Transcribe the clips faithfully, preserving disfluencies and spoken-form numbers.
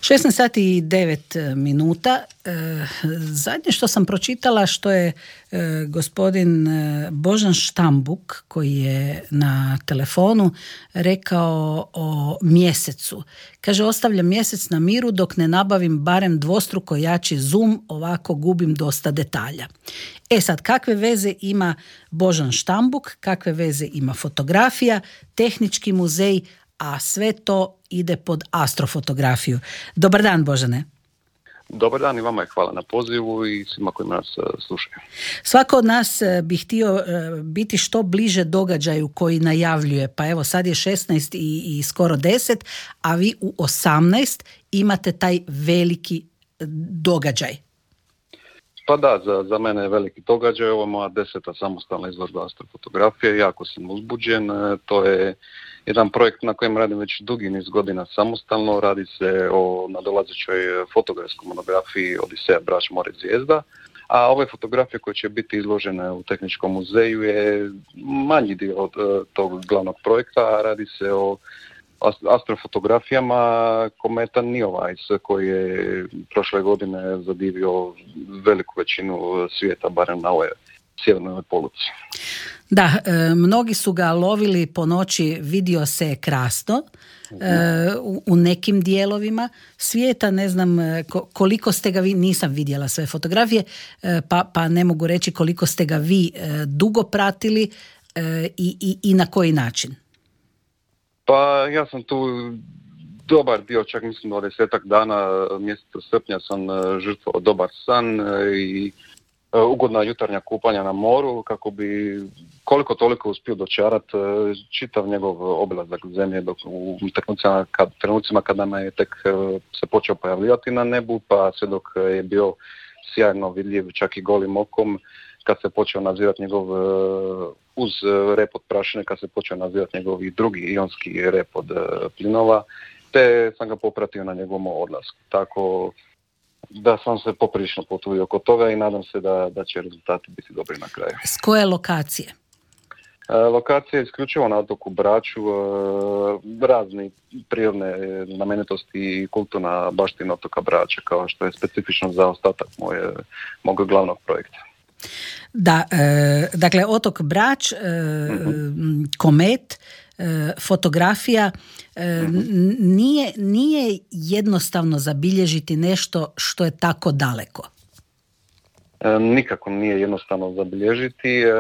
šesnaest sati i devet minuta. Zadnje što sam pročitala, što je gospodin Božan Štambuk, koji je na telefonu, rekao o mjesecu. Kaže, ostavljam mjesec na miru dok ne nabavim barem dvostruko jači zoom, ovako gubim dosta detalja. E sad, kakve veze ima Božan Štambuk, kakve veze ima fotografija, tehnički muzej, a sve to ide pod astrofotografiju. Dobar dan, Božane. Dobar dan i vama je hvala na pozivu i svima koji nas slušaju. Svako od nas bi htio biti što bliže događaju koji najavljuje, pa evo sad je šesnaest i, i skoro deset, a vi u osamnaest imate taj veliki događaj. Pa da, za, za mene je veliki događaj, ovo je moja deseta samostalna izložba astrofotografije, jako sam uzbuđen, to je jedan projekt na kojem radim već dugi niz godina samostalno, radi se o nadolazećoj fotografskoj monografiji Odiseja, Brač, more, zvijezda, a ove fotografije koje će biti izložene u Tehničkom muzeju je manji dio od tog glavnog projekta, radi se o astrofotografijama kometa Neowise koji je prošle godine zadivio veliku većinu svijeta, barem na ovoj sjevernoj poluci. Da, e, mnogi su ga lovili po noći, vidio se krasno e, u, u nekim dijelovima svijeta, ne znam koliko ste ga vi, nisam vidjela sve fotografije, e, pa, pa ne mogu reći koliko ste ga vi e, dugo pratili e, i, i, i na koji način. Pa ja sam tu dobar dio, čak mislim do desetak dana, mjeseca srpnja sam žrtvovao dobar san i ugodna jutarnja kupanja na moru kako bi koliko toliko uspio dočarati čitav njegov obilazak zemlje dok u trenucima, kad, trenucima kada me je tek se počeo pojavljivati na nebu, pa sve dok je bio sjajno vidljiv čak i golim okom, kad se počeo nadzirati njegov uz rep od prašine, kad se počeo nadzirati njegov i drugi ionski rep od plinova, te sam ga popratio na njegovom odlasku. Tako da sam se poprilično potrudio oko toga i nadam se da, da će rezultati biti dobri na kraju. S koje lokacije? E, lokacija je isključivo na otoku Braču, e, razni prirodne znamenitosti i kulturna baština otoka Brača, kao što je specifično za ostatak moje, mog glavnog projekta. Da, e, dakle, otok Brač, e, mm-hmm. komet, e, fotografija, e, mm-hmm. nije, nije jednostavno zabilježiti nešto što je tako daleko. E, nikako nije jednostavno zabilježiti, e,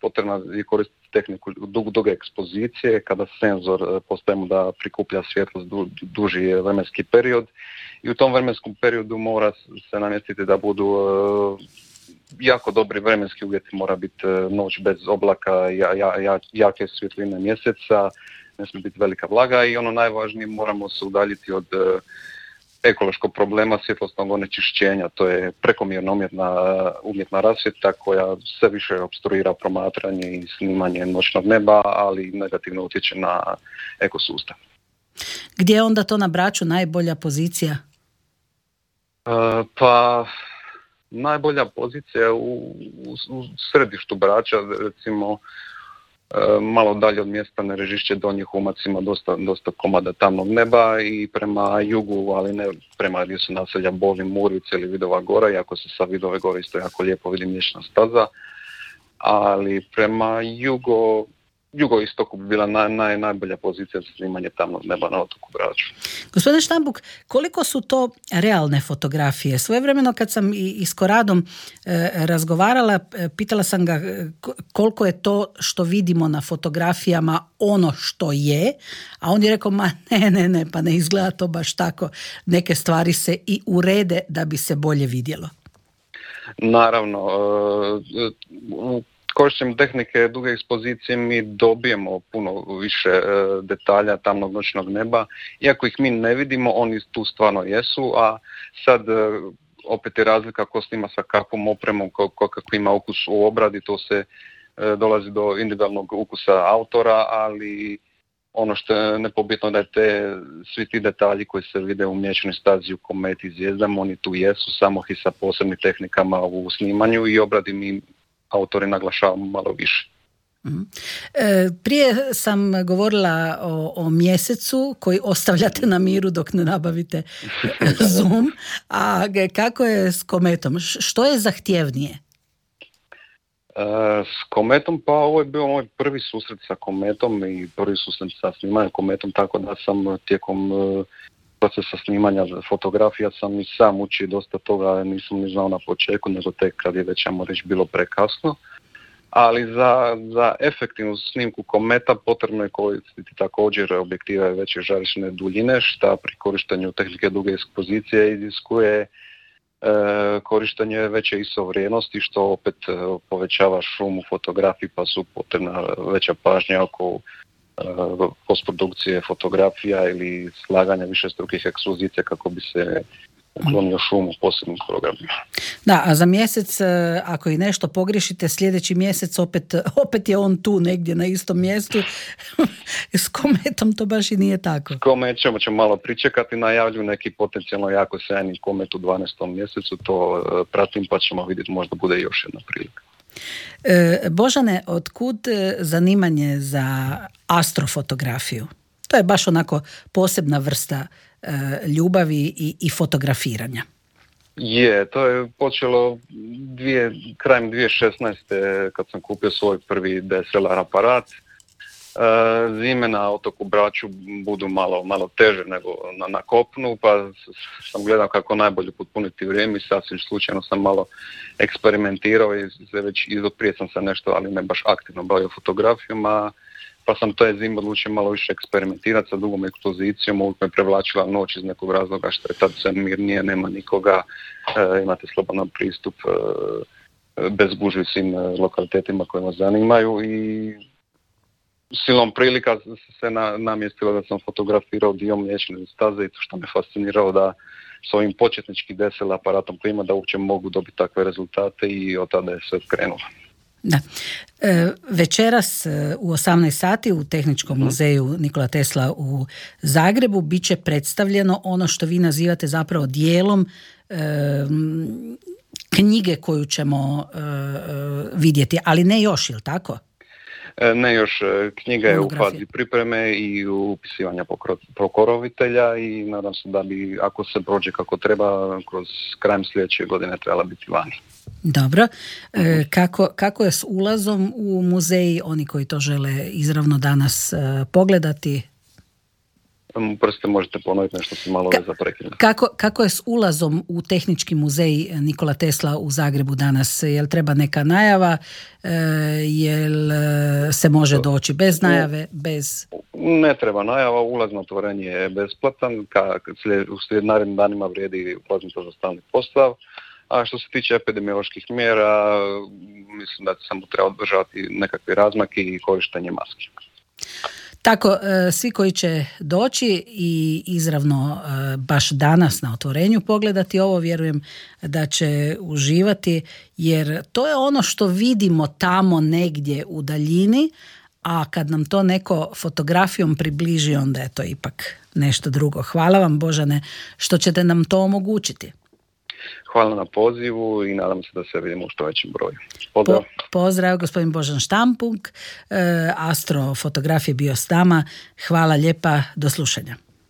potrebno je koristiti tehniku dug, duge ekspozicije, kada senzor postavimo da prikuplja svjetlost du, duži vremenski period i u tom vremenskom periodu mora se namjestiti da budu e, jako dobri vremenski uvjeti, mora biti noć bez oblaka, ja, ja, ja, jake svjetline mjeseca, ne smije biti velika vlaga i ono najvažnije, moramo se udaljiti od e, ekološkog problema svjetlosnog onečišćenja, to je prekomjerna umjetna, umjetna rasvjeta koja sve više opstruira promatranje i snimanje noćnog neba, ali negativno utječe na ekosustav. Gdje je onda to na Braču najbolja pozicija? E, pa... Najbolja pozicija u, u, u središtu Brača, recimo e, malo dalje od mjesta Nerežišće, Donji Humac ima dosta, dosta komada tamnog neba i prema jugu, ali ne prema gdje su naselja Boli, Murvice ili Vidova Gora, iako se sa Vidove Gore isto jako lijepo vidi mliječna staza, ali prema jugo, jugoistoku bi bila naj, naj, najbolja pozicija za snimanje tamnog neba na otoku Braču. Gospodine Štambuk, koliko su to realne fotografije? Svojevremeno kad sam i, i s Koradom e, razgovarala, e, pitala sam ga koliko je to što vidimo na fotografijama ono što je, a on je rekao, ma ne, ne, ne, pa ne izgleda to baš tako. Neke stvari se i urede da bi se bolje vidjelo. Naravno, e, u korištenjem tehnike duge ekspozicije mi dobijemo puno više e, detalja tamnog noćnog neba. Iako ih mi ne vidimo, oni tu stvarno jesu, a sad e, opet je razlika ko snima sa kakvom opremom, ko, ko, kako ima ukus u obradi, to se e, dolazi do individualnog ukusa autora, ali ono što je nepobitno da je te, svi ti detalji koji se vide u mliječnoj stazi, u kometi, zvijezdama, oni tu jesu, samo i sa posebnim tehnikama u snimanju i obradi mi autori naglašavamo malo više. Mm. E, prije sam govorila o, o mjesecu koji ostavljate na miru dok ne nabavite Zoom, a kako je s Kometom? Što je zahtjevnije? E, s Kometom, pa ovo je bio moj prvi susret sa Kometom i prvi susret sa snimanjem Kometom, tako da sam tijekom e, procesa snimanja fotografija sam i sam učio dosta toga, nisam ni znao na početku, nego tek kad je već, ajmo reći, bilo prekasno. Ali za, za efektivnu snimku Kometa potrebno je koristiti također objektive veće žarišne duljine, što pri korištenju tehnike duge ekspozicije iziskuje e, korištenje veće I S O vrijednosti, što opet e, povećava šum u fotografiji, pa su potrebna veća pažnja oko e, postprodukcije fotografija ili slaganja višestrukih ekspozicija kako bi se uklonio šum u posebnim programima. Da, a za mjesec, ako i nešto pogriješite, sljedeći mjesec opet, opet je on tu negdje na istom mjestu. S Kometom to baš i nije tako. S Kometom ćemo malo pričekati, najavljuju neki potencijalno jako sjajni Komet u dvanaestom mjesecu, to pratim pa ćemo vidjeti, možda bude još jedna prilika. E, Božane, otkud zanimanje za astrofotografiju? To je baš onako posebna vrsta ljubavi i, i fotografiranja. Je, to je počelo dvije, krajem dvije tisuće šesnaeste kad sam kupio svoj prvi D S L R aparat. E, zime na otoku Braču budu malo, malo teže nego na, na kopnu, pa sam gledao kako najbolje potpuniti vrijeme i sasvim slučajno sam malo eksperimentirao i se već prije sam se nešto, ali ne baš aktivno bavio fotografijom, a pa sam taj zim odlučio malo više eksperimentirati sa dugom ekspozicijom, uvijek me prevlačila noć iz nekog razloga što je tad sve mirnije, nema nikoga, e, imate slobodan pristup e, bez gužvi svim lokalitetima koje vas zanimaju i silom prilika se na, namjestilo da sam fotografirao dio Mliječne staze i to što me fasciniralo da s ovim početničkim D S L R aparatom koji ima da uopće mogu dobiti takve rezultate i od tada je sve krenulo. Da. E, večeras u osamnaest sati u Tehničkom muzeju Nikola Tesla u Zagrebu bit će predstavljeno ono što vi nazivate zapravo dijelom e, knjige koju ćemo e, vidjeti, ali ne još, ili tako? Ne još, knjiga je u fazi pripreme i upisivanja pokrovitelja i nadam se da bi, ako se prođe kako treba, kroz krajem sljedeće godine trebala biti vani. Dobro. E, kako, kako je s ulazom u muzej, oni koji to žele izravno danas e, pogledati? Prste, možete ponoviti nešto, se malo Ka- zaprekinuli. Kako, kako je s ulazom u Tehnički muzej Nikola Tesla u Zagrebu danas? Jel treba neka najava? E, jel se može doći bez najave? Bez... Ne treba najava, ulaz na otvorenje je besplatan, ka, u slijed narednim danima vrijedi ulaznica za stalni postav. A što se tiče epidemioloških mjera, mislim da samo treba održati nekakve razmake i korištenje maski. Tako, svi koji će doći i izravno baš danas na otvorenju pogledati ovo, vjerujem da će uživati, jer to je ono što vidimo tamo negdje u daljini, a kad nam to neko fotografijom približi, onda je to ipak nešto drugo. Hvala vam, Božane, što ćete nam to omogućiti. Hvala na pozivu i nadam se da se vidimo u što većem broju. Pozdrav. Po, pozdrav, gospodin Božan Štampung, e, astrofotograf je bio s nama. Hvala lijepa, do slušanja.